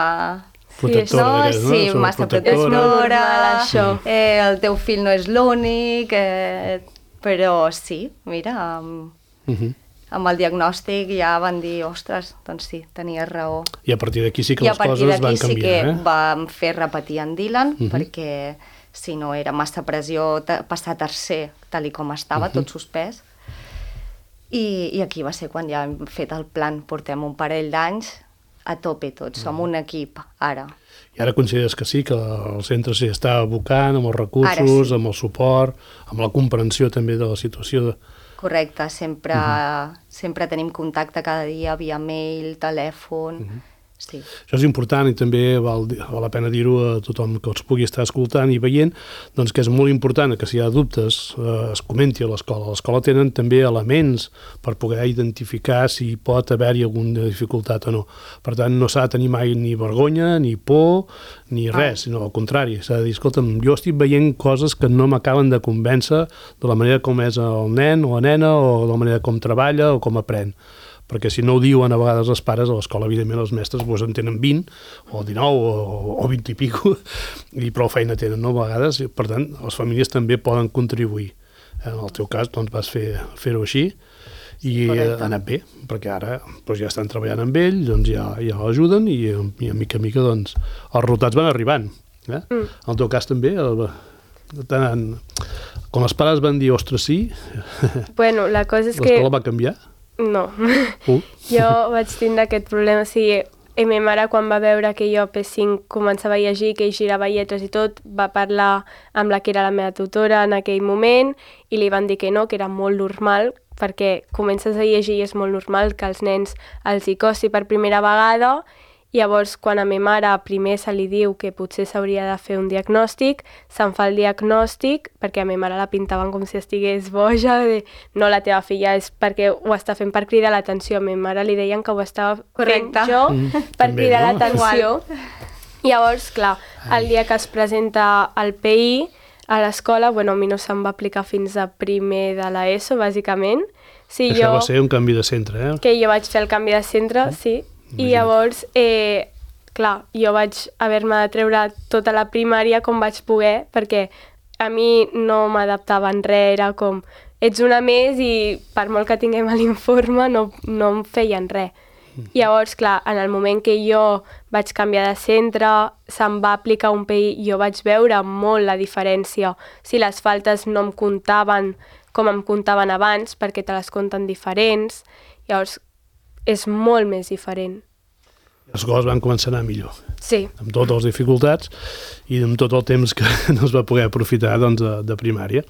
Protectora, no? d'aquelles, no? Sí, massa protectora, normal, això. Eh, el teu fill no és l'únic, eh, però sí, mira, amb, uh-huh. amb el diagnòstic ja van dir, ostres, doncs sí, tenies raó. I a partir d'aquí sí que I les coses van canviar, eh? I a partir d'aquí sí que vam fer repetir en Dylan, uh-huh. perquè si no era massa pressió passar tercer, tal i com estava, uh-huh. tot suspès. I, I aquí va ser quan ja hem fet el plan, portem un parell d'anys, a tope tots, som un equip, ara. I ara consideres que sí, que el centre s'hi està abocant amb els recursos, sí. amb el suport, amb la comprensió també de la situació de... Correcte, sempre, uh-huh. sempre tenim contacte cada dia via mail, telèfon... Uh-huh. Sí. Això és important i també val, val la pena dir-ho a tothom que els pugui estar escoltant i veient, doncs que és molt important que si hi ha dubtes eh, es comenti a l'escola. A l'escola tenen també elements per poder identificar si pot haver-hi alguna dificultat o no. Per tant, no s'ha de tenir mai ni vergonya, ni por, ni res, sinó al contrari. S'ha de dir, escolta'm, jo estic veient coses que no m'acaben de convèncer de la manera com és el nen o la nena o de la manera com treballa o com aprèn. Perquè si no ho diuen a vegades els pares, a l'escola, evidentment, els mestres doncs, en tenen vint, o dinou, o, o vint i pico, i prou feina tenen, no?, a vegades. Per tant, les famílies també poden contribuir. En el teu cas, doncs, vas fer, fer-ho així, i ha anat bé, perquè ara doncs, ja estan treballant amb ell, doncs ja, ja l'ajuden, i, i a mica a mica doncs, els resultats van arribant. Eh? Mm. En el teu cas també, el, tant, quan els pares van dir, ostres, sí, bueno, la cosa és que... l'escola va canviar? No. Uh. Jo vaig tindre aquest problema, o sigui, i ma mare quan va veure que jo a P cinc començava a llegir, que hi girava lletres i tot, va parlar amb la que era la meva tutora en aquell moment i li van dir que no, que era molt normal, perquè comences a llegir i és molt normal que als nens els hi costi per primera vegada. Llavors, quan a ma mare primer se li diu que potser s'hauria de fer un diagnòstic, se'n fa el diagnòstic, perquè a ma mare la pintaven com si estigués boja, de no, la teva filla és perquè ho està fent per cridar l'atenció. A ma mare li deien que ho estava Correcte. fent jo mm, per també, cridar no? l'atenció. Llavors, clar, el dia que es presenta el P I a l'escola, bueno, a mi no se'm va aplicar fins a primer de l'ESO, bàsicament. Sí, Això jo, va ser un canvi de centre, eh? que jo vaig fer el canvi de centre, sí. I llavors, eh, clar, jo vaig haver-me de treure tota la primària com vaig poder, perquè a mi no m'adaptava en res, era com, ets una més i per molt que tinguem l'informe no, no em feien res. Llavors, clar, en el moment que jo vaig canviar de centre, se'm va aplicar un P I, jo vaig veure molt la diferència. Si les faltes no em comptaven com em comptaven abans, perquè te les compten diferents, llavors és molt més diferent. Les coses van començar a anar millor. Sí. Amb totes les dificultats i amb tot el temps que no es va poder aprofitar doncs, de, de primària.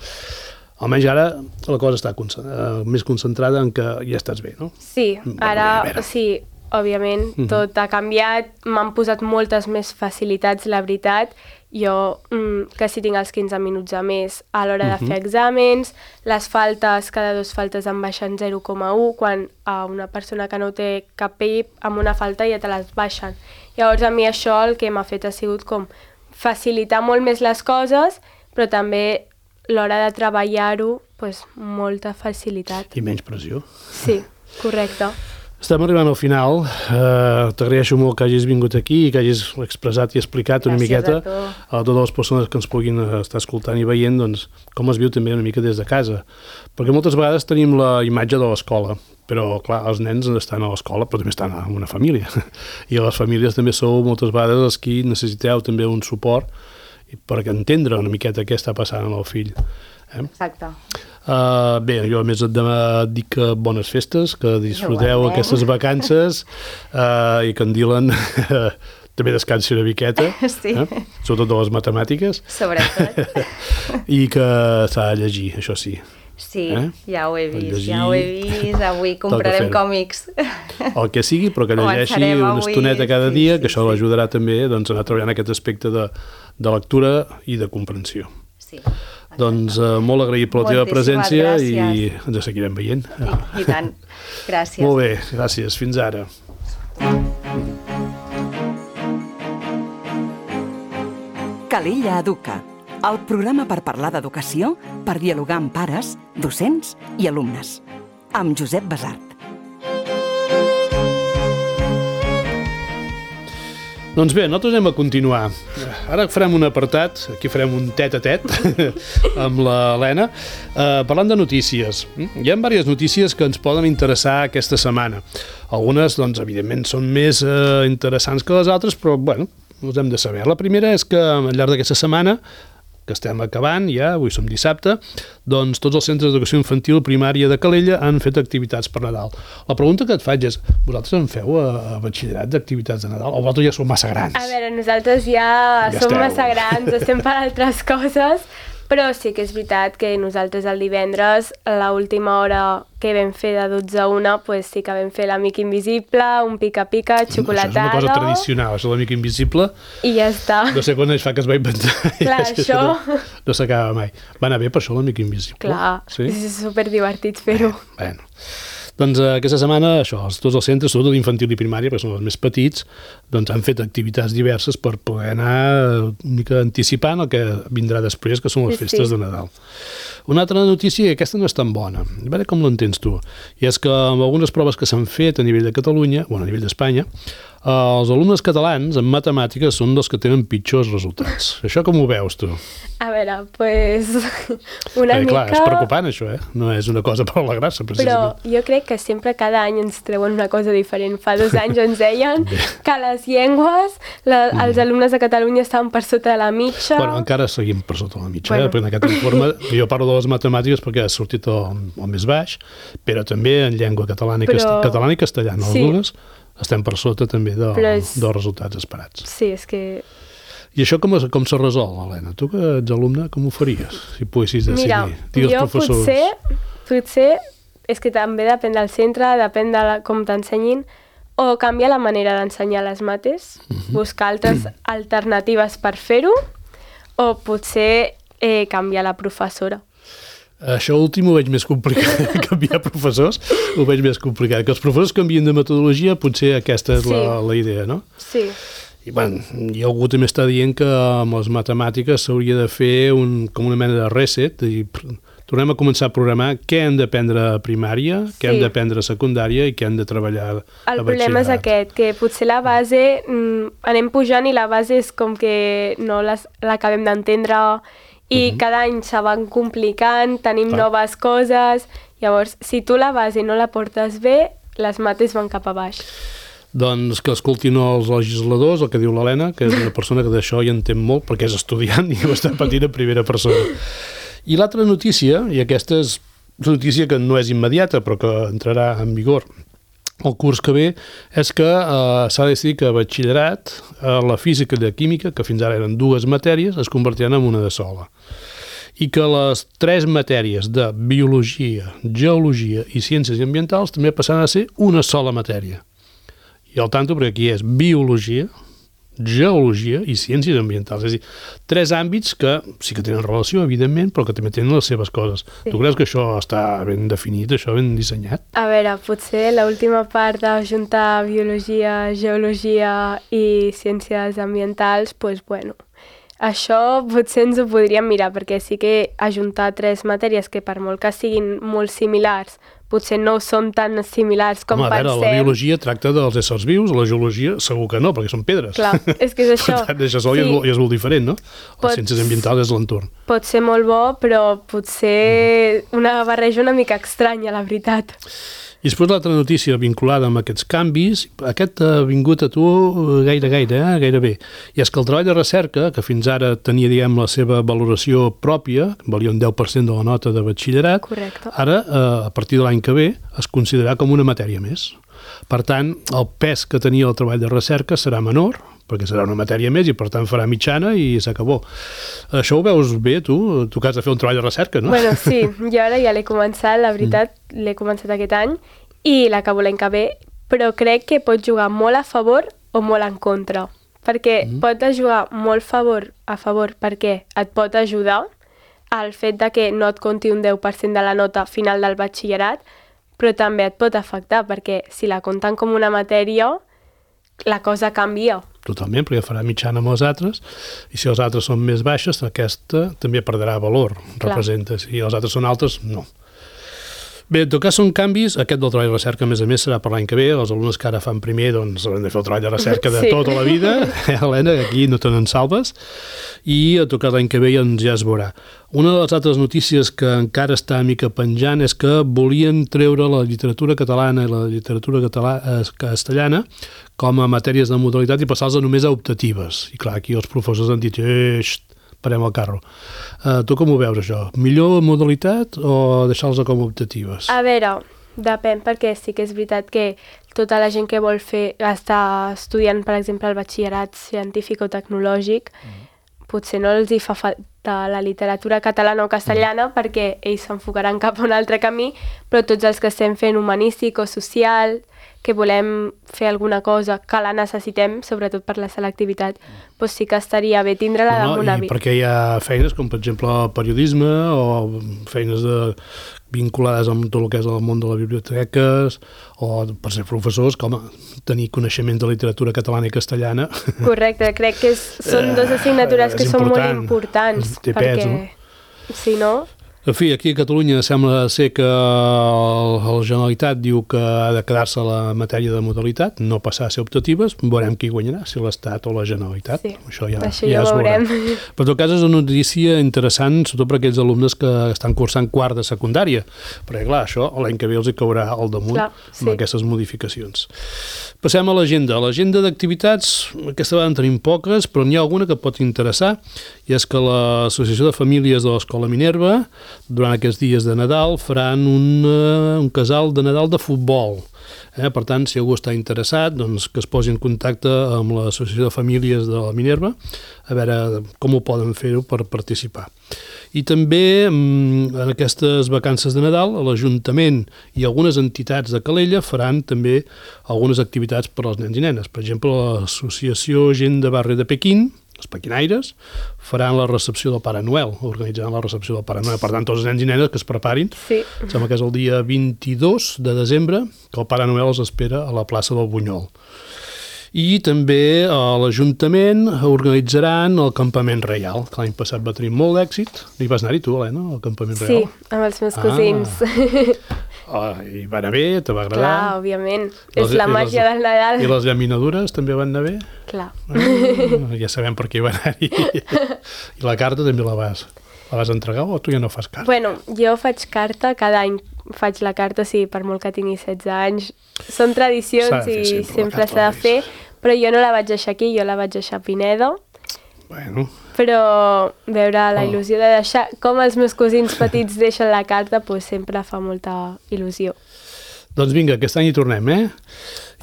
Almenys ara la cosa està uh, més concentrada en que ja estàs bé, no? Sí, ara, sí, òbviament, uh-huh. tot ha canviat, m'han posat moltes més facilitats, la veritat. Jo, mm, que si tinc els quinze minuts a més a l'hora uh-huh. de fer exàmens, les faltes, cada dues faltes em baixen zero coma u, quan a una persona que no té cap P I, amb una falta ja te les baixen. Llavors, a mi això el que m'ha fet ha sigut com facilitar molt més les coses, però també l'hora de treballar-ho, pues, molta facilitat. I menys pressió. Sí, correcte. Estem arribant al final. Uh, T'agraeixo molt que hagis vingut aquí i que hagis expressat i explicat una Gràcies miqueta a, tu. a totes les persones que ens puguin estar escoltant i veient doncs, com es viu també una mica des de casa. Perquè moltes vegades tenim la imatge de l'escola, però clar, els nens estan a l'escola però també estan en una família. I les famílies també sou moltes vegades els qui necessiteu també un suport per entendre una miqueta què està passant amb el fill. Eh? Exacte. Uh, bé, jo a més et, et dic que bones festes, que disfruteu Igualment. Aquestes vacances uh, i que en Dylan també descansi una miqueta, sí. eh? Sobretot de les matemàtiques. Sobretot. I que s'ha de llegir, això sí. Sí, eh? ja ho he vist, llegir, ja ho he vist, avui comprarem còmics. El que sigui, però que llegeixi una avui, estoneta cada sí, dia, sí, que això sí. l'ajudarà també doncs, a anar treballant aquest aspecte de, de lectura i de comprensió. Sí. Doncs uh, molt agraït per la teva presència gràcies. I ens seguirem veient. Sí, i tant. Gràcies. Molt bé, gràcies. Fins ara. Calella Educa, el programa per parlar d'educació, per dialogar amb pares, docents i alumnes. Amb Josep Basart. Doncs bé, nosaltres anem a continuar. Ara farem un apartat, aquí farem un tet-a-tet amb l'Helena, eh, parlant de notícies. Hi ha diverses notícies que ens poden interessar aquesta setmana. Algunes, doncs, evidentment, són més eh, interessants que les altres, però, bueno, us hem de saber. La primera és que al llarg d'aquesta setmana, que estem acabant ja, avui som dissabte, doncs tots els centres d'educació infantil primària de Calella han fet activitats per Nadal. La pregunta que et faig és, vosaltres en feu a, a batxillerat d'activitats de Nadal o vosaltres ja sou massa grans? A veure, nosaltres ja, ja som esteu. massa grans, estem per altres coses, però sí que és veritat que nosaltres el divendres, a l'última hora que vam fer de dotze a una, pues sí que vam fer l'amic invisible, un pica-pica, xocolatada... Això és una cosa tradicional, això de l'amic invisible. I ja està. No sé quan es fa que es va inventar. Clar, ja, això... No, no s'acaba mai. Va anar bé per això l'amic invisible? Clar, sí? és superdivertit fer-ho. Bueno, doncs eh, aquesta setmana, això, tots els centres, sobretot infantil i primària, perquè són els més petits, doncs han fet activitats diverses per poder anar una mica anticipant el que vindrà després, que són les sí, festes sí. de Nadal. Una altra notícia, i aquesta no és tan bona, a veure com l'entens tu, i és que amb algunes proves que s'han fet a nivell de Catalunya, bueno, a nivell d'Espanya, els alumnes catalans en matemàtiques són dels que tenen pitjors resultats. Això com ho veus, tu? A veure, pues, una Perquè, mica... clar, és preocupant, això, eh? No és una cosa per alegrar-se, precisament. Però jo crec que sempre cada any ens treuen una cosa diferent. Fa dos anys ens deien que les llengües, la, els alumnes de Catalunya estaven per sota de la mitja. Bueno, encara seguim per sota la mitja, bueno. eh? Perquè en aquest informe, jo parlo de les matemàtiques perquè ha sortit el, el més baix, però també en llengua catalana i, però... catalana i castellana, sí. Les dues, estem per sota també de, és... dels resultats esperats. Sí, és que... I això com, com se resol, Helena? Tu que ets alumne, com ho faries, si poguessis decidir? Mira, Digues jo professors. potser, potser, és que també depèn del centre, depèn de la, com t'ensenyin, o canviar la manera d'ensenyar les mates, uh-huh. buscar altres uh-huh. alternatives per fer-ho, o potser eh, canviar la professora. Això últim ho veig més complicat, canviar professors ho veig més complicat. Que els professors canvien de metodologia, potser aquesta és sí. la, la idea, no? Sí. I, bueno, i algú també està dient que amb les matemàtiques s'hauria de fer un, com una mena de reset, i tornem a començar a programar què hem d'aprendre a primària, sí. què hem d'aprendre a secundària i què hem de treballar a batxillerat. El problema és aquest, que potser la base, mm, anem pujant i la base és com que no l'acabem d'entendre i uh-huh. cada any se van complicant, tenim Clar. noves coses, llavors si tu la base no la portes bé, les mates van cap a baix. Doncs que escoltin els legisladors, el que diu l'Helena, que és una persona que d'això hi entén molt perquè és estudiant i ho està patint en primera persona. I l'altra notícia, i aquesta és una notícia que no és immediata però que entrarà en vigor el curs que ve, és que eh, s'ha decidit que a batxillerat eh, la física i la química, que fins ara eren dues matèries, es convertiran en una de sola. I que les tres matèries de biologia, geologia i ciències ambientals també passaran a ser una sola matèria. I al tanto, perquè aquí és biologia, geologia i ciències ambientals. És a dir, tres àmbits que sí que tenen relació, evidentment, però que també tenen les seves coses. Sí. Tu creus que això està ben definit, això ben dissenyat? A veure, potser l'última part d'ajuntar biologia, geologia i ciències ambientals, doncs, bueno, això potser ens ho podríem mirar, perquè sí que ajuntar tres matèries que per molt que siguin molt similars, potser no són tan similars com Home, a veure, pensem. la biologia tracta dels éssers vius, la geologia segur que no, perquè són pedres. Clar, és que és això. Per tant, això sol sí. I és molt diferent, no? Pot, les ciències ambientals és l'entorn. Pot ser molt bo, però potser una barreja una mica estranya, la veritat. I després l'altra notícia vinculada amb aquests canvis, aquest ha vingut a tu gaire, gaire, eh? gairebé. I és que el treball de recerca, que fins ara tenia, diguem, la seva valoració pròpia, valia un deu per cent de la nota de batxillerat, correcte. Ara, eh, a partir de l'any que ve, es considerarà com una matèria més. Per tant, el pes que tenia el treball de recerca serà menor, perquè serà una matèria més i per tant farà mitjana i s'acabó. Això ho veus bé, tu? Tu que has de fer un treball de recerca, no? Bueno, sí, jo ara ja l'he començat, la veritat, mm. l'he començat aquest any i l'acabo l'any que ve, però crec que pot jugar molt a favor o molt en contra, perquè mm. pot jugar molt favor a favor perquè et pot ajudar al fet de que no et compti un deu per cent de la nota final del batxillerat, però també et pot afectar, perquè si la compten com una matèria, la cosa canvia. Totalment, perquè farà mitjana amb els altres, i si els altres són més baixes, aquesta també perdrà valor, Clar. representa. Si els altres són altres, no. Bé, en tot cas són canvis, aquest del treball de recerca a més a més serà per l'any que ve, els alumnes que ara fan primer doncs hauran de fer el treball de recerca de sí. tota la vida, eh, Helena, aquí no te n'en salves, i a tocar l'any que ve doncs ja es veurà. Una de les altres notícies que encara està a mica penjant és que volien treure la literatura catalana i la literatura català, eh, castellana com a matèries de modalitat i passar-les només a optatives. I clar, aquí els professors han dit, eh, xt, parem el carro. Uh, tu com ho veus, això? Millor modalitat o deixar-los com optatives? A veure, depèn, perquè sí que és veritat que tota la gent que vol fer, està estudiant, per exemple, el batxillerat científic o tecnològic, mm. potser no els hi fa falta la literatura catalana o castellana mm. perquè ells s'enfocaran cap a un altre camí, però tots els que estem fent humanístic o social, que volem fer alguna cosa que la necessitem, sobretot per la selectivitat, doncs sí que estaria bé tindre-la no, damunt a i perquè hi ha feines com, per exemple, el periodisme o feines de, vinculades amb tot el que és el món de les biblioteques o per ser professors, com tenir coneixements de literatura catalana i castellana. Correcte, crec que és, són dues assignatures que són molt importants. Té perquè, pes, no? Si no... En fi, aquí a Catalunya sembla ser que la Generalitat diu que ha de quedar-se la matèria de modalitat, no passar a ser optatives, veurem qui guanyarà, si l'Estat o la Generalitat. Sí, això ja, això ja, ja es veurem. veurà. Però en tot cas és una notícia interessant, sobretot per aquells alumnes que estan cursant quart de secundària, perquè clar, això l'any que ve els hi caurà al damunt clar, sí. amb aquestes modificacions. Passem a l'agenda. L'agenda d'activitats, aquesta vegada en tenim poques, però n'hi ha alguna que pot interessar, i és que l'Associació de Famílies de l'Escola Minerva durant aquests dies de Nadal faran un, uh, un casal de Nadal de futbol. Eh? Per tant, si algú està interessat, doncs que es posi en contacte amb l'Associació de Famílies de la Minerva a veure com ho poden fer-ho per participar. I també en aquestes vacances de Nadal l'Ajuntament i algunes entitats de Calella faran també algunes activitats per als nens i nenes. Per exemple, l'Associació Gent de Barri de Pequín, els pequinaires, faran la recepció del Pare Noel, organitzaran la recepció del Pare Noel. Per tant, tots els nens i nenes que es preparin. Sí. Em sembla que és el dia vint-i-dos de desembre que el Pare Noel els espera a la plaça del Bunyol. I també a l'Ajuntament organitzaran el Campament Reial, que l'any passat va tenir molt d'èxit. Hi vas anar-hi tu, Helena, al Campament Reial? Sí, amb els meus cosins. Ah, i va anar bé? Te va agradar? Clar, òbviament. És la màgia del Nadal. I les llaminadures també van anar bé? Clar. Ah, ja sabem per què hi va anar-hi. I la carta també la vas, la vas entregar o tu ja no fas carta? Bueno, jo faig carta cada any. faig la carta, sí, per molt que tingui setze anys. Són tradicions i sempre, sempre s'ha de fer, però jo no la vaig deixar aquí, jo la vaig deixar a Pinedo. Bueno. Però veure la il·lusió de deixar, com els meus cosins petits deixen la carta, doncs sempre fa molta il·lusió. Doncs vinga, aquest any hi tornem, eh?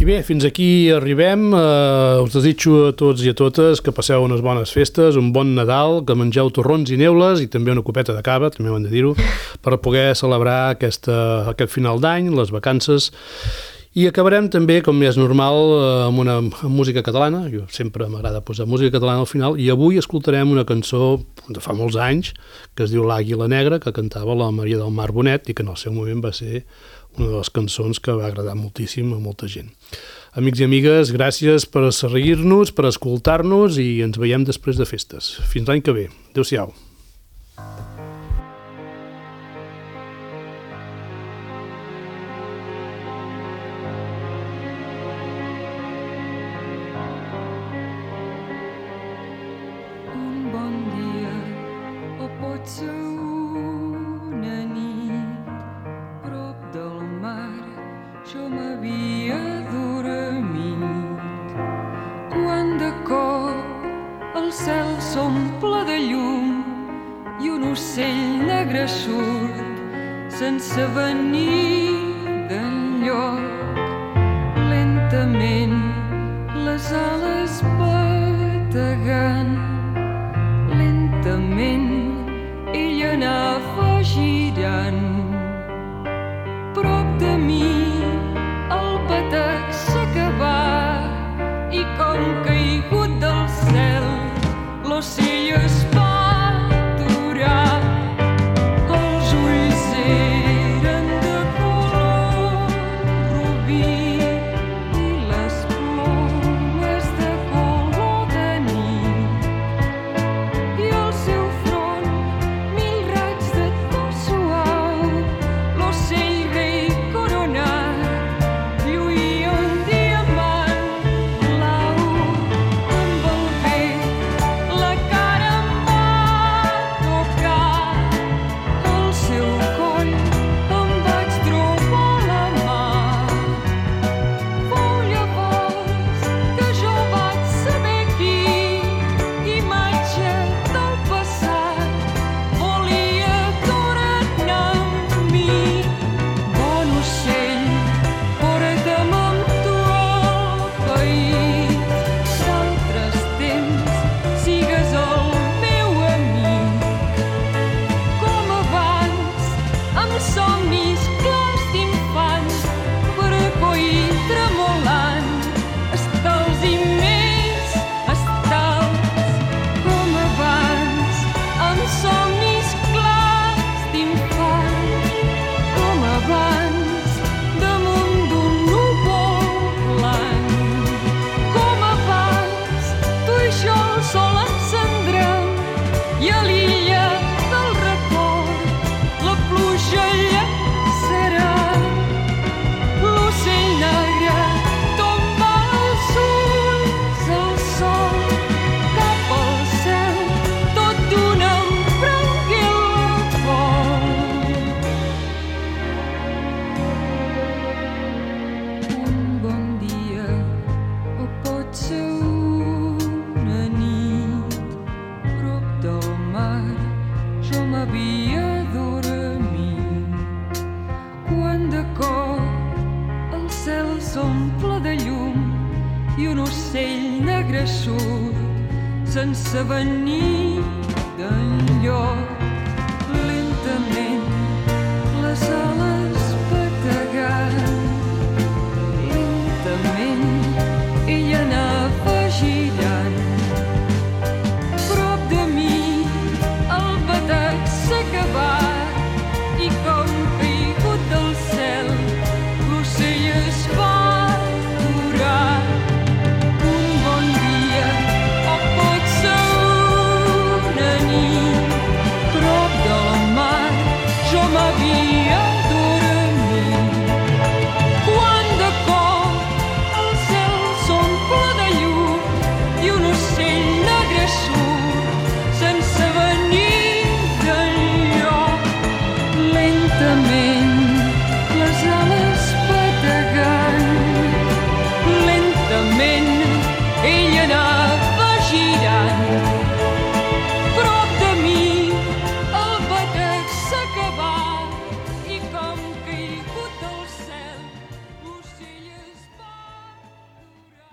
I bé, fins aquí arribem. Uh, us desitjo a tots i a totes que passeu unes bones festes, un bon Nadal, que mengeu torrons i neules i també una copeta de cava, també ho hem de dir-ho, per poder celebrar aquesta, aquest final d'any, les vacances. I acabarem també, com és normal, amb una amb música catalana. Jo sempre m'agrada posar música catalana al final, i avui escoltarem una cançó de fa molts anys, que es diu L'Àguila Negra, que cantava la Maria del Mar Bonet i que en el seu moment va ser una de les cançons que va agradar moltíssim a molta gent. Amics i amigues, gràcies per seguir-nos, per escoltar-nos, i ens veiem després de festes. Fins l'any que ve. Adéu-siau. Un bon dia, o pot ser una nit, prop del mar, jo m'havia dormit, quan de cop el cel s'omple de llum i un ocell negre surt sense venir d'enlloc. Lentament les ales bategant, lentament ell anava girant. Prop de mi el batec s'acabà i com caigut del cel l'ocell es va aturar. Els ulls eren de color rubí i les plomes de color de nit, i el seu front mil raigs de to suau. L'ocell rei coronat lluïa un diamant blau. Amb el vent la cara em va tocar, al seu coll em vaig trobar la mà. Fou llavors que jo vaig saber qui, imatge del passat, volia tornar amb mi. Bon ocell, porta'm amb tu al país d'altres temps, sigues el meu amic. Com abans, amb somnis clars d'infant, vergó i tremolant, estals i més estals. Com abans, amb somnis clars d'infant, com abans, damunt d'un núvol blanc. Com abans, tu i jo el sol encendrem, i a l'illa del record la pluja llançarà. L'ocell negre tomba els ulls al sol, cap al cel, tot d'una em prengué el vol. Un bon dia, o pot ser una nit, prop del mar, jo m'havia dormit, quan de cop el cel s'omple de llum i un ocell negre surt sense venir d'enlloc. Lentament les ales bategant, lentament ell anava girant. Prop de mi el batec s'acabà i com caigut del cel l'ocell es va aturar. Un bon dia, o pot ser una nit, prop del mar, jo m'havia dormit, quan de cop el cel s'omple de llum i un ocell negre surt sense venir d'enlloc. Lentament